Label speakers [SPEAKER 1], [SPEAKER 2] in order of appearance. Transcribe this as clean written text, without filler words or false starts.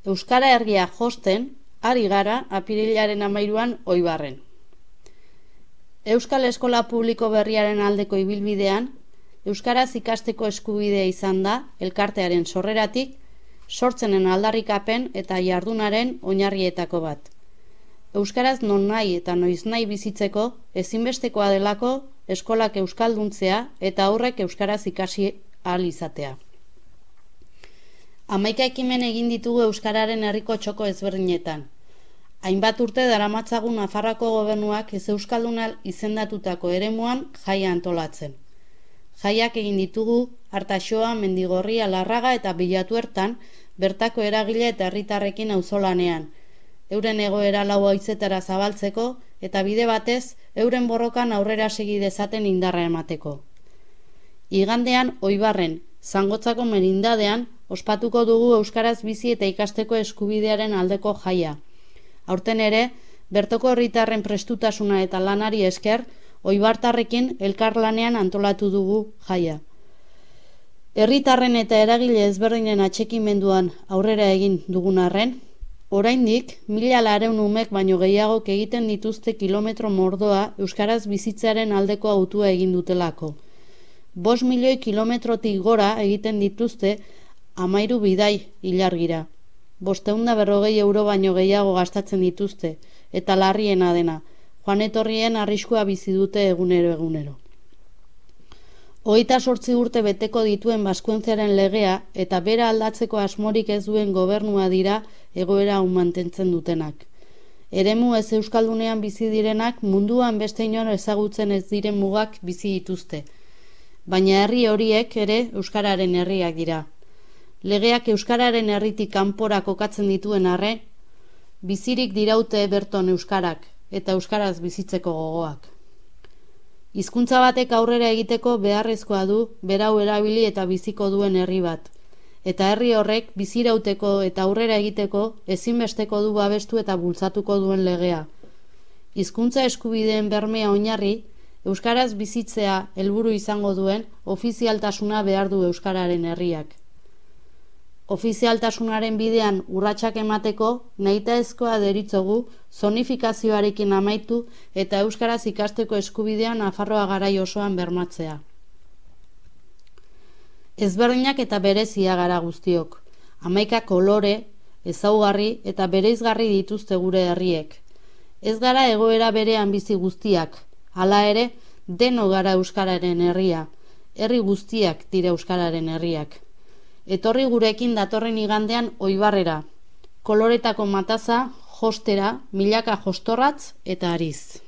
[SPEAKER 1] Euskara herria josten, ari gara apirilaren 13an Oibarren. Euskal Eskola Publiko berriaren aldeko ibilbidean, euskaraz ikasteko eskubidea izan da elkartearen sorreratik, sortzenen aldarrikapen eta jardunaren oinarrietako bat. Euskaraz nonahi eta noiznahi bizitzeko ezinbestekoa delako eskolak euskalduntzea eta aurrek euskaraz ikasi ahal izatea. 11 ekimen egin ditugu euskararen herriko txoko ezberdinetan. Hainbat urte daramatzagu Nafarroako gobernuak ez euskalduna izendatutako eremuan jaia antolatzen. Jaiak egin ditugu Artaxoa, Mendigorria, Larraga eta Bilatuertan bertako eragile eta herritarrekin auzolanean, euren egoera lau haizetara zabaltzeko eta bide batez euren borrokan aurrera segi dezaten indarra emateko. Igandean Oibarren, Zangotzako merindadean, ospatuko dugu euskaraz bizi eta ikasteko eskubidearen aldeko jaia. Aurten ere, bertoko herritarren prestutasuna eta lanari esker, oibartarrekin elkarlanean antolatu dugu jaia. Herritarren eta eragile ezberdinen atxekimenduan aurrera egin dugun arren, oraindik 1.400 umek baino gehiagok egiten dituzte kilometro mordoa euskaraz bizitzearen aldeko hautua egin dutelako. 5 milioi kilometrotik gora egiten dituzte 13 bidai ilargira. 540 euro baino gehiago gastatzen dituzte, eta larriena dena, joan etorrien arriskua bizi dute egunero. 28 urte beteko dituen Baskuentziaren legea eta bera aldatzeko asmorik ez duen gobernua dira egoera hau mantentzen dutenak. Eremu ez euskaldunean bizi direnak munduan beste inor ezagutzen ez diren mugak bizi dituzte, baina herri horiek ere euskararen herriak dira. Legeak euskararen herritik kanpora kokatzen dituen arren, bizirik diraute berton euskarak eta euskaraz bizitzeko gogoak. Hizkuntza batek aurrera egiteko beharrezkoa du berau erabili eta biziko duen herri bat, eta herri horrek bizirauteko eta aurrera egiteko ezinbesteko du babestu eta bultzatuko duen legea. Hizkuntza eskubideen bermea oinarri, euskaraz bizitzea helburu izango duen ofizialtasuna behar du euskararen herriak. Ofizialtasunaren bidean urratsak emateko nahitaezkoa deritzogu zonifikazioarekin amaitu eta euskaraz ikasteko eskubidea Nafarroa garai osoan bermatzea. Ezberdinak eta berezia gara guztiok. 11 kolore, ezaugarri eta bereizgarri dituzte gure herriek. Ez gara egoera berean bizi guztiak, hala ere deno gara euskararen herria, herri guztiak dira euskararen herriak. Etorri gurekin datorren igandean Oibarrera, koloretako mataza, jostera, milaka jostorratz eta ariz.